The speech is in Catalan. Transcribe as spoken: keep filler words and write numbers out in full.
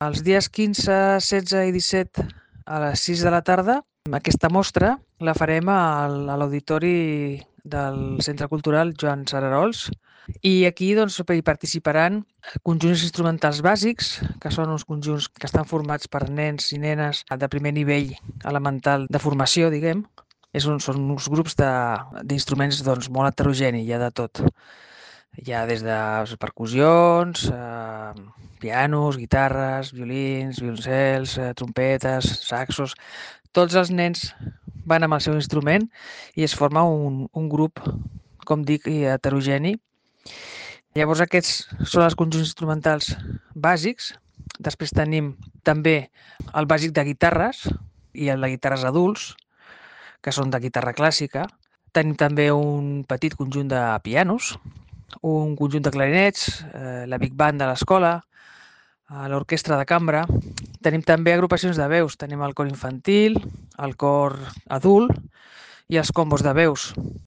Els dies quinze, setze i disset a les sis de la tarda, aquesta mostra la farem al- a l'auditori del Centre Cultural Joan Cerarols i aquí doncs, hi participaran conjunts instrumentals bàsics, que són uns conjunts que estan formats per nens i nenes de primer nivell elemental de formació, diguem. És un, són uns grups de- d'instruments doncs, molt heterogeni, hi ha de tot. Hi ha des de percussions, eh, pianos, guitarres, violins, violoncels, eh, trompetes, saxos. Tots els nens van amb el seu instrument i es forma un, un grup, com dic, heterogeni. Llavors aquests són els conjunts instrumentals bàsics. Després tenim també el bàsic de guitarres i el de guitarres adults, que són de guitarra clàssica. Tenim també un petit conjunt de pianos, un conjunt de clarinets, eh, la Big Band de l'escola, eh, l'orquestra de cambra. Tenim també agrupacions de veus. Tenim el cor infantil, el cor adult i els combos de veus.